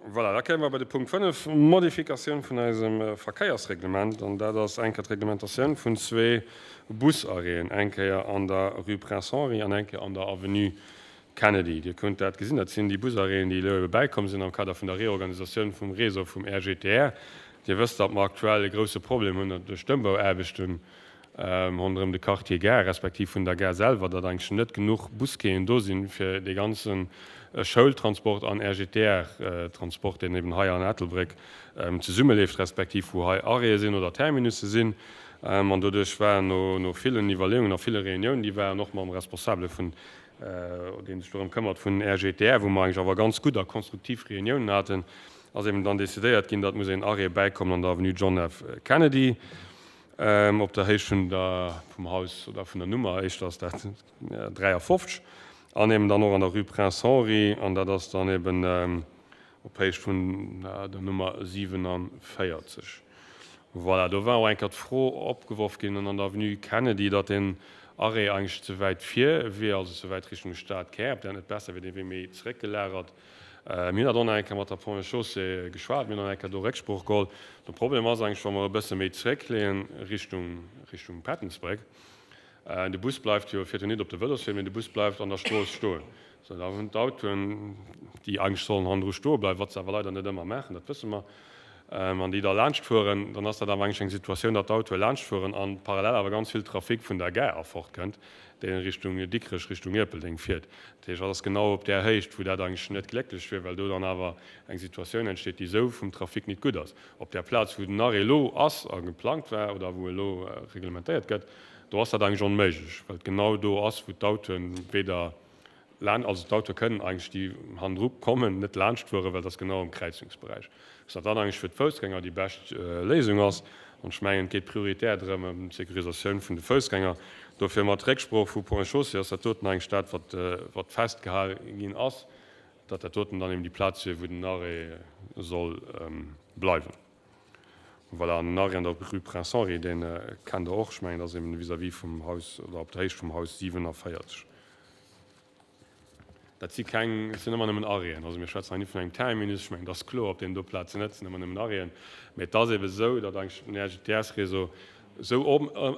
Voilà, da kéime mer bei de Punkt 5, Modifikatioun vun eisem Verkéiersreglement. An dat ass eng Kéier d'Reglementatioun vun zwee Busarrêten, eng Kéier an der Rue Prince Henri an eng Kéier an der Avenue Kennedy. Dir kënnt dat gesinn, dat sinn déi Busarrêten, déi elo ebe bäikomm sinn am Kader vun der Reorganisatioun vum Réseau vum RGTR. Dir wësst, datt mer aktuell e grouse Problem hunn duerch d'Ëmbauaarbechten ronderëm de Quartier Gare, respektiv vun der Gare selwer, datt eigentlech net genuch Busquaien do sinn, fir dee ganze Schoultransport an RGTR-Transport, deen eben hei an Ettelbréck zesummeleeft, respektiv wou hei Arrêtë sinn oder Terminusse sinn. An doduerch war no villen Iwwerleeungen a ville Reuniounen, déi waren och mam Responsabele vun, dee sech dorëm këmmert, vun RGTR, wou mer eigentlech awer ganz gutt a konstruktiv Reuniounen haten, ass eben dann decidéiert ginn, datt muss een Arrêt bäikommen an der Avenue John F. Kennedy. Op der Héicht vun der, vum Haus oder vun der Nummer, éischter ass dat 53, an eben dann och an der Rue Prince Henri, an dat ass dann eben op Héicht vun der Nummer 47. Voilà, do war och eng Kéier d'Fro opgeworf ginn an der Avenue Kennedy, datt deen Arrêt eigentlech ze wäit vir wier, also ze wäit Richtung Stadkär, ob dat net besser wier, dee wier méi zeréckgelagert. Mir hunn dat och nach eng Kéier mat der Ponts et Chaussées geschwat, mir hunn och nach eng Kéier do Récksprooch geholl. De Problem ass eigentlech, wa mer e bësse méi zréckleeën Richtung, Richtung Pettensbréck, de Bus bleift jo, fiert jo nit op de Vëloswee, mee de Bus bleift an der Strooss stoen. Sou, da hunn d'Autoen, déi eigentlech sollen hannendru stoe bleiwen, wat se awer leider net ëmmer maachen, dat wësse mer, an déi da laanscht fueren, dann ass dat awer eigentlech eng Situatioun, datt d'Autoe laanscht fueren an parallel awer ganz vill Trafic vun der Gare erfort kënnt, deen Richtung Dikrech, Richtung Ierpeldeng fiert. Dat heescht, dat ass genau op där Héicht, wou dat eigentlech net glécklech wier, well do dann awer eng Situatioun entsteet, déi esou vum Trafic nit gutt ass. Op där Plaz, wou den Arrêt elo ass a geplangt war oder wou elo reglementéiert gëtt, do ass dat eigentlech onméiglech, well et genau do ass, wou d'Autoen weder Laan, also d'Autoe kënnen eigentlech, déi hannendru kommen, net laanscht fueren, well et ass genau am Kräizungsberäich. Dass dat dann eigentlech fir d'Foussgänger déi bescht Léisung ass. An ech mengen, et geet prioritär drëm, ëm d'Securisatioun vun de Foussgänger. Dofir mat Récksprooch vu Ponts et Chaussées ass dat doten eigentlech dat, wat, wat festgehal ginn ass, datt dat doten dann eben déi Plaz wier, wou den Arrêt soll bleiwen. Voilà, an den Arrêt an der Rue Prince Henri, dee kennt Der och. Ech mengen, dat ass eben vis-à-vis vum Haus oder op der Héicht vum Haus 47. Dat si keng, et sinn ëmmer nëmmen Arrêten. Also mir schwätzen hei net vun engem Terminus, ech mengen, dat ass kloer, op deenen do Plazen net, et sinn ëmmer nëmmen Arrêten. Mä et ass ebe esou, datt eigentlech den RGTS-Réseau esou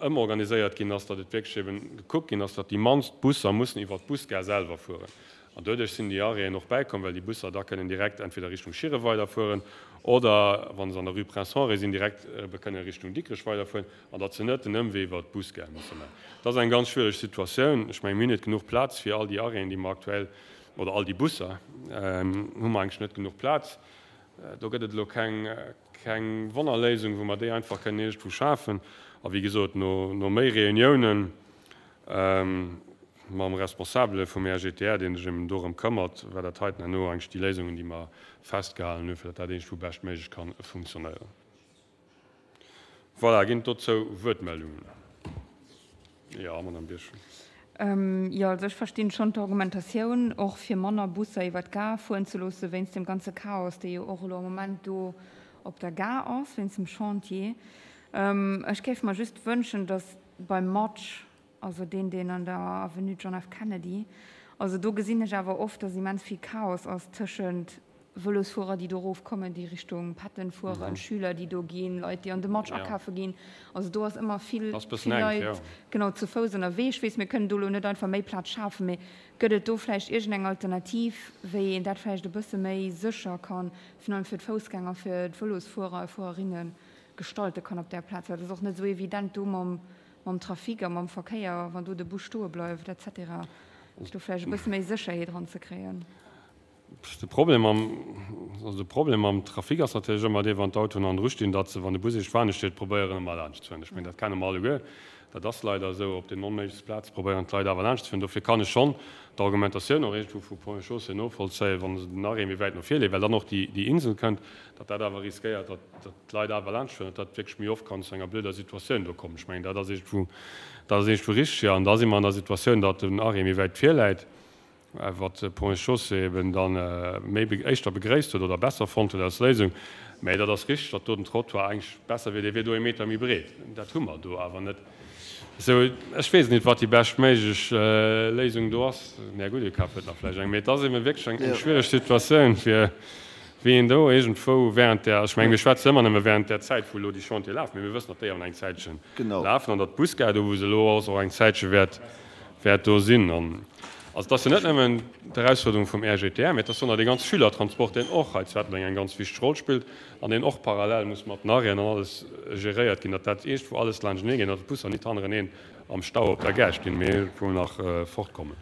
ëmorganiséiert ginn ass, datt et wierklech eben gekuckt ginn ass, datt déi mannst Busser mussen iwwert d'Busgare selwer fueren. An doduerch sinn déi Arrêten och bäikomm, well déi Busser da kënnen direkt entweder Richtung Schieren weiderfueren oder, wa se an der Rue Prince Henri sinn, direkt ebe kënnen Richtung Dikrech weiderfueren an datt se net den Ëmwee iwwert d'Busgare musse maachen. Dat ass eng ganz schwiereg Situatioun. Ech mengen, mir hunn net genuch Plaz fir all déi Arrêten, déi mer aktuell, oder all déi Busser, hu mer eigentlech net genuch Plaz. Do gëtt et elo keng, keng Wonnerléisung, wou mer déi einfach kënnen iergendwou schafen. A wéi gesot, no, no méi Reuniounen, Mam Responsabele vum RGTR, dee sech eben dorëm këmmert, war dat heiten herno eigentlech déi Léisungen, déi mer festgehalen hunn, fir datt dat iergendwou beschtméiglech ka funktionéieren. Voilà, ginn et dozou Wuertmeldungen? Jo, Madame Birchen. Jo, also ech verstinn schonn d'Argumentatioun, och fir manner Busser iwwer d'Gare fueren ze loosse wéinst deem ganze Chaos, dee jo och elo am Moment do op der Gare ass, wéinst dem Chantier. Ech géif mer just wënschen, datt Beim Match, also deen, deen an der Avenue John F. Kennedy, also do gesinn ech awer oft, dass immens vill Chaos ass tëschent Vëlosfuerer, déi do erofkommen, déi Richtung Patton fueren, Schüler, déi do ginn, Leit, déi an de Match akafe ginn. Also do ass ëmmer vill, vill Leit, genau, zu Fouss ënnerwee. Ech weess, mir kënnen do elo net einfach méi Plaz schafen, mee gëtt et do vläicht iergendeng Alternativ, wéi een dat vläicht e bësse méi sécher kann, virun allem fir d'Foussgänger, fir d'Vëlosfuerer a fuererinnen, gestalte kann op där Plaz, well et ass och net esou evident do mam, mam Trafic a mam Verkéier, wann do de Bus stoe bleift et cetera, do vläicht e bësse méi Sécherheet eranzekréien. De Problem mam, also de Problem mam Trafic ass natierlech ëmmer dee, wann d'Autoen hannendru stinn, datt se, wann de Bus iergendwann steet, probéieren ëmmer laanscht ze fueren. Ech mengen, dat kenne mer alleguer. Dat ass leider esou, op den onméiglechste Plaze probéieren d'Leit awer laanscht ze fueren. Dofir kann ech schonn d'Argumentatioun och iergendwou vu Ponts et Chaussées novollzéien, wa se den Arrêt méi wäit no vir leeën, well dann och déi Insel kënnt, datt dat awer riskéiert, datt d'Leit awer laanscht fueren, datt dat wierklech méi oft kann zu enger blöder Situatioun do kommen. Ech mengen, dat ass iergendwou, dat ass iergendwou richteg, jo. An da si mer an der Situatioun, datt den Arrêt méi wäit vir läit. wat de Ponts et Chaussées eben da méi éischter begréisst huet oder besser fonnt huet als Léisung. Mä dat ass richteg, datt do den Trottoir eigentlech besser wier, dee wier do ee Meter méi breet. Dat hu mer do awer net. Esou, ech weess net, wat déi beschtméiglech Léisung do ass. Mä gutt, Dir kaf huet nach vläicht eng. Mä et ass eben wierklech eng schwiereg Situatioun, fir. Wéi een do iergendwou während där, ech mengen, mir schwätzen ëmmer nëmme während där Zäit, wou elo déi Chantiere lafen, mee mir wëssen, datt déi awer nach eng Zäitche lafen an datt d'Busgare do, wou se elo ass, och eng Zäitche wäert, wäert do sinn. An also et ass jo net nëmmen d'Erausfuerderung vum RGTR, mee et ass jo nach dee ganz Schülertransport, deen och hei zu Ettelbréck eng ganz wichteg Roll spillt an deen och parallel muss mat den Arrêten an alles geréiert ginn, datt dat iergendwou alles laanschtenee geet an datt d'Busser nit hannereneen am Stau op der Gare stinn, mee iergendwou nach fortkommen.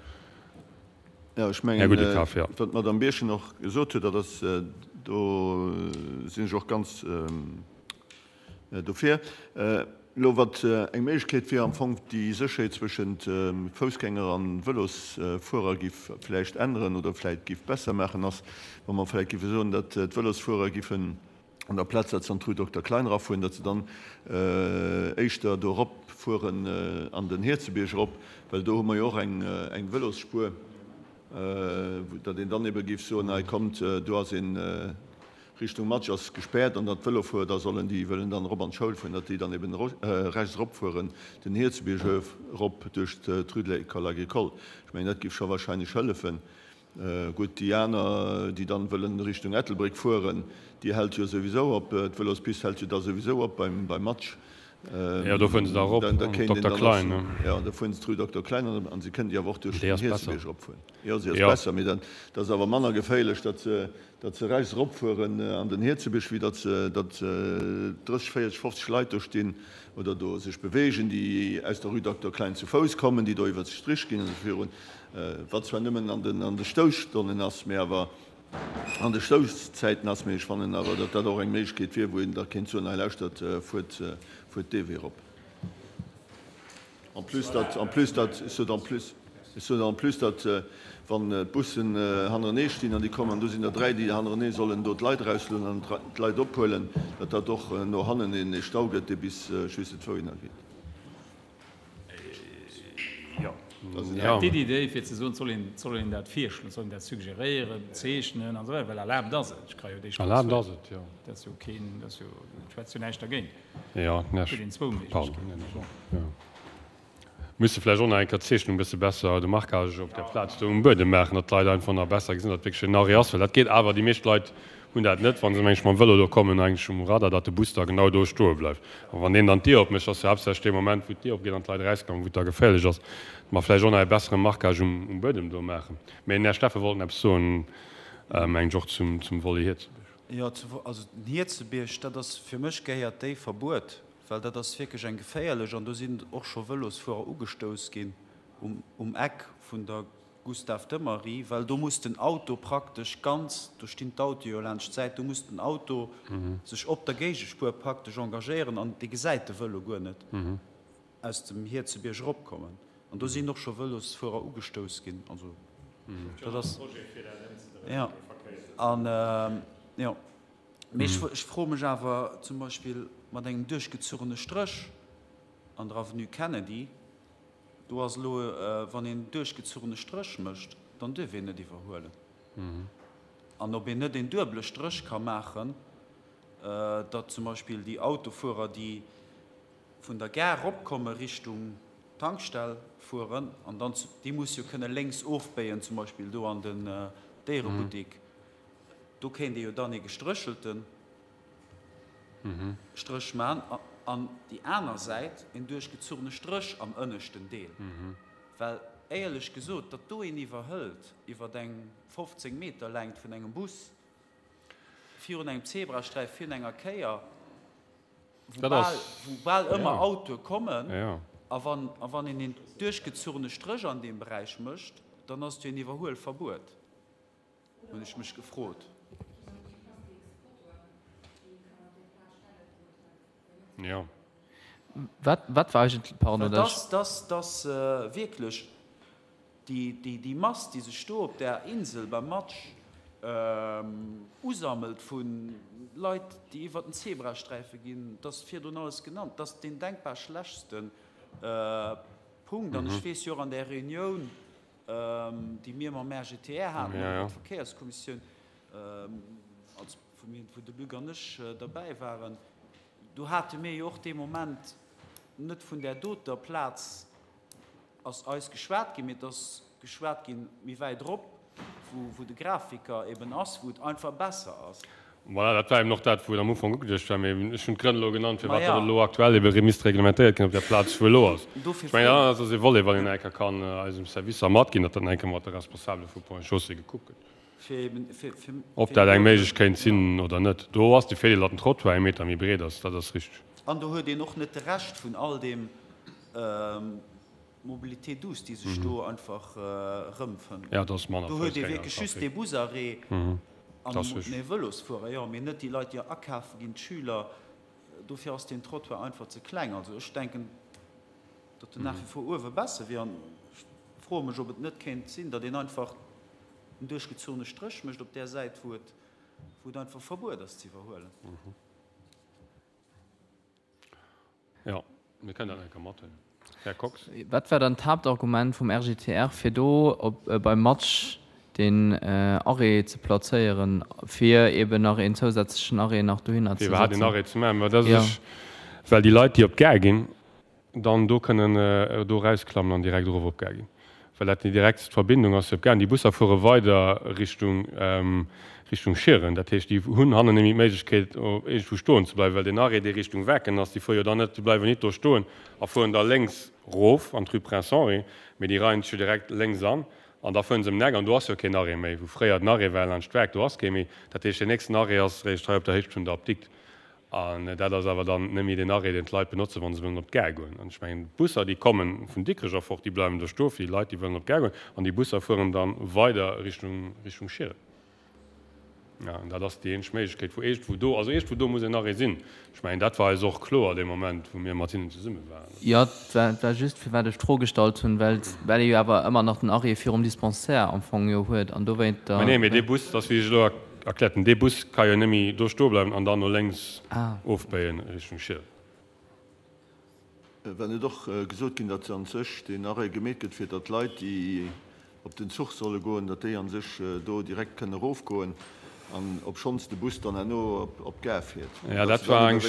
Jo, ech mengen, wat d'Madame Birchen och gesot huet, dat ass, do sinn ech och ganz dofir. Elo, wat eng Méiglechkeet wier am Fong, déi Sécherheet zwëschent Foussgänger a Vëlosfuerer giff vläicht änneren oder vläicht giff besser maachen, ass, wa mer vläicht giffe soen, datt d'Vëlosfuerer giffen an der Plaz, datt se an d'Rue Dokter Klein erafueren, datt se dann éischter do eropfueren an den Hierzebierg erop, well do hu mer jo och eng Vëlosspuer, datt een dann ebe géif soen, hei kommt, do ass een, Richtung Matsch ass gespäert an datt d'Vëlofuerer da sollen, déi wëllen dann erop an d'Schoul fueren, datt déi dann eben rechts eropfueren, den Hierzebierg erop duerch d'Rue de l'École agricole. Ech mengen, dat géif scho wahrscheinlech hëllefen. Gutt, déi aner, déi dann wëllen Richtung Ettelbréck fueren, déi hält jo souwisou op, d'Vëlospist hält jo da souwisou op beim Matsch. Jo, do fueren se da erop an d'Dokter Klein, ne? Jo, da fueren se d'Rue Dokter Klein an an se kënnen déi awer och duerch den Hierzebierg eropfueren. Jo, si ass besser, mee dat ass awer manner geféierlech, datt se, datt se rechts eropfueren an den Hierzebierg, wéi datt se, datt 30, 40, 50 Leit do stinn oder do sech beweegen, déi aus der Rue Dokter Klein zu Fouss kommen, déi do iwwert de Strich ginn an esou virun. Wat zwar nëmmen an de Stousstonnen ass, mä awer an de Stouszäiten ass, mä ech fannen awer, datt dat och eng Méiglechkeet wier, wou een da kéint soen, hei lauschtert, fuert, fuert dee Wee erop. En plus datt, en plus datt, ech sot en plus, ech sot en plus datt, wann d'Bussen hannerenee stinn an déi kommen, an do sinn der dräi, déi hannerenee sollen do d'Leit erauslueden an d'Leit ophuelen, datt dat och no hannen een Stau gëtt, dee bis ech weess net wouhinner geet. D'Iddi déi fir ze soen, soll een, soll een dat virschloen, soll een dat suggeréieren, zeechnen an esou weider, well erlaabt ass et. Ech ka jo déi Strooss Erlaabt ass et, jo. Dat ass jo keen, dat ass jo, et schwätzt jo näischt dergéint. Jo, näscht. Huet een zwou Méiglechkeeten. Jo. Misste vläicht och nach eng Kéier d'Zeechnung e bësse besser, de Marquage op der Plaz do um Buedem maachen, datt d'Leit einfach nach besser gesinn, datt wierklech en Arrêt ass, well dat geet awer, déi meescht Leit hunn dat net, wa se mengen ech mam Vëlo do kommen, eigentlech um Radar, datt de Bus da genau do stoe bleift. A wann deen dann d'Dier opmécht, ass jo haaptsächlech dee Moment, wou d'Dier opgeet an d'Leit erauskommen, wou et da geféierlech ass. Datt mer vläicht och nach e bessere Marquage um Buedem do maachen. Mee den Här Steffen wollt eppes soen, mengen ech, och zum Volet Hierzebierg. Jo, also den Hierzebierg, dat ass fir mech gehéiert déi Verbuet, well dat ass wierklech eng geféierlech an do sinn och scho Vëlosfuerer ugestouss ginn um Eck vun der Gustave Demary, well do muss den Auto praktesch ganz, do stinn d'Autoe jo laanscht d'Säit, do muss den Auto sech op der Géigespuer praktesch engagéieren an dee gesäit de Vëlo guer net aus dem Hierzebierg eropkommen. An do sinn och scho Vëlosfuerer ugestouss ginn. Also dat ass, jo, an jo. Mee ech froe mech awer zum Beispill mat engem duerchgezurene Stréch an der Avenue Kennedy, Do ass elo, wann een duerchgezurene Stréch mécht, dann duerf een net iwwerhuelen. An ob een net een duebele Stréch ka maachen, datt zum Beispill déi Autofuerer, déi vun der Gare eropkomme Richtung Tankstell fueren, an dann, déi musse jo kënne lénks ofbéien, zum Beispill do an den Déierebuttek, do kéint ee jo dann ee gestréchelte Stréch man an déi aner Säit een duerchgezurene Stréch am ënneschten Deel. Well éierlech gesot, datt do een iwwerhëlt iwwer eng 15 Meter Längt vun engem Bus virun engem Zebrasträif, virun enger Kéier, wou bal, wou bal ëmmer Autoe kommen, a wann, a wann een een duerchgezurene Stréch an deem Beräich mécht, dann ass et jo een Iwwerhuelverbuet. Hunn ech mech gefrot. Jo. Wat, wat war eigentlech, pardon, dat ech. Dass, dass wierklech déi, déi, déi Mass, déi sech do op där Insel beim Matsch usammelt vu Leit, déi iwwert den Zebrasträife ginn, dass virdrun alles genannt, dass deen denkbar schlechtste Punkt. An ech weess jo och an där Reunioun, déi mir mam RGTR haten, an der Verkéierskommissioun, als wou de Luc an ech derbäi waren, do hate mir jo och dee Moment net vun där doter Plaz ass eis geschwat ginn, mee et ass geschwat ginn méi wäit erop. wou de Grafiker eben ass, wou et einfach besser ass. Voilà, dat war eben och dat, wou et am Ufank ugeduecht war. Mee ech hunn d'Grënn elo genannt, firwat dat elo aktuell ebe misst reglementéiert ginn op där Plaz, wou elo ass. Ech mengen, dat ass e Volet, wann een eng Kéier kann eisem Servicer matginn, datt dat eng Kéier mat de Responsabele vu Ponts et Chaussées gekuckt gëtt. Ob dat eng Méiglech kéint sinn oder net. Do ass de Virdeel, datt den Trottoir ee Meter méi breet ass, dat ass richteg. An do huet een och net de Rescht vun all deem Mobilité douce, déi sech do einfach erëmfënnt. Do huet ee wierklech just dee Busarrêt an ee Vëlosfuerer, jo, mee net déi Leit, déi akafe ginn, d'Schüler. Dofir ass deen Trottoir einfach ze kleng. Also ech denken, datt en nach wie vor uewe besser wier. An ech froe mech, ob et net kéint sinn, datt een einfach en duerchgezunne Stréch mécht op där Säit, wou et einfach verbuet ass ze iwwerhuelen. Jo, mir kënnen dat eng Kéier mathuelen. Här Kox. Wat war dann d'Haaptargument vum RGTR, fir do op beim Match deen Arrêt ze plazéieren, fir eben nach een zousätzlechen Arrêt nach dohinner ze setzen? Fir iwwerhaapt een Arrêt ze maachen? Mä dat ass, well déi Leit, déi op d'Gare ginn, dann do kënnen do erausklammen an direkt erof op d'Gare ginn, well dat déi direktst Verbindung ass fir op d'Gare. An déi Busser fuere weider Richtung Richtung Schieren. Dat heescht, déi hunn hannen net méi d'Méiglechkeet iergendwou stoen ze bleiwen, well deen Arrêt, dee Richtung Werken ass, déi fuere jo dann net, déi bleiwen nit do stoen a fueren da lénks rof an d'Rue Prince Henri, mee déi reien sech jo direkt lénks an an da fueren se ëm den Eck an do ass jo keen Arrêt méi. Wou fréier den Arrêt war laanscht d'Werk, do ass kee méi. Dat heescht, deen nächsten Arrêt ass eréischt hei op der Héicht vun der Apdikt. An dat ass awer dann net méi deen Arrêt, deen d'Leit benotzen, wa se wëllen op d'Gare goen. An ech mengen, d'Busser, déi komme vun Dikrech erfort, déi bleiwen do stoe fir déi Leit, déi wëllen op d'Gare goen. An déi Busser fueren da weider Richtung, Richtung Schieren. Ja, an dat ass déi eenzeg Méiglechkeet, wou iergendwou do, also iergendwou do muss en Arrêt sinn. Ech mengen, dat war eis och kloer dee Moment, wou mir mat hinnen zesumme waren. Jo, et war, et war just, firwat ech d'Fro gestallt hunn, well, well ee jo awer ëmmer nach den Arrêt virum Dispensaire am Fong jo huet an dowéint da. Mä nee, mee dee Bus, dat ass wéi ech elo Erkläert en, dee Bus ka jo nëmme do stoe bleiwen an dann no lénks ofbéien Richtung Schiel. War net och gesot ginn, datt an sech deen Arrêt gemeet gëtt, fir datt d'Leit, déi op den Zuch solle goen, datt déi an sech do direkt kënne erofgoen an obschonns de Bus dann herno op d'Gare fiert? Jo, dat war eng,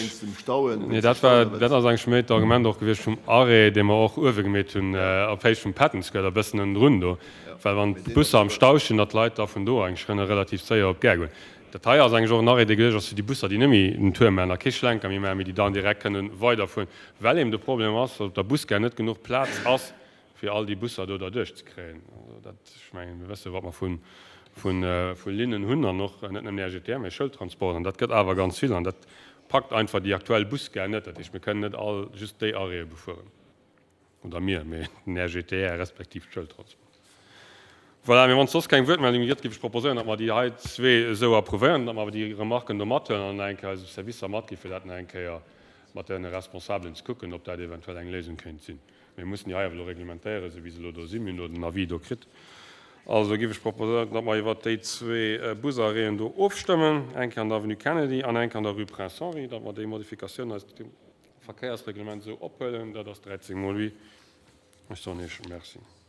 nee, dat war, dat ass eigentlech méi d'Argument och gewiescht vum Arrêt, dee mer och uewe gemeet hunn, op Héicht vum Patton Square, e bëssen ënnendrun do. Well wann d'Busser am Stau stinn, datt d'Leit da vun do eigentlech kënne relativ séier op d'Gare goen. Dat hei ass eigentlech och en Arrêt, dee geduecht ass fir déi Busser, déi net méi den Tour maachen a kee Schlenker méi maachen, mee déi dann direkt kënne weiderfueren, well eben de Problem ass, datt op der Busgare net genuch Plaz ass, fir all déi Busser do derduerch ze kréien. Also dat, ech mengen, mir wësse wat mer vu vu Linnen hunn an och net nëmmen RGTR, mee Schoultransport an dat gëtt awer ganz vill an dat packt einfach déi aktuell Busgare net. Dat heescht, mir kënnen net all just déi Arrêtë befueren. Oder mir, mee den RGTR respektiv d'Schoultransport. Voilà, mee wann et soss keng Wuertmeldunge gëtt, géif ech proposéieren, datt mer déi hei zwee esou approuvéieren, datt mer awer déi Remarken do mathuelen an nach eng Kéier eise Servicer matgi fir dat nach eng Kéier mat deene Responsabelen ze kucken, ob dat eventuell eng Léisung kéint sinn. Mir mussen déi hei awer elo reglementéieren, esou wéi se elo do sinn. Mir hunn elo den Avis do kritt. Also géif ech proposéieren, datt mer iwwert déi zwee Busarrêten do ofstëmmen, eng Kéier an der Avenue Kennedy an eng Kéier an der Rue Prince Henri, datt mer déi Modifikatioun eis Verkéiersreglement esou ophuelen, dat ass 13 mol oui. Ech soen Iech Merci.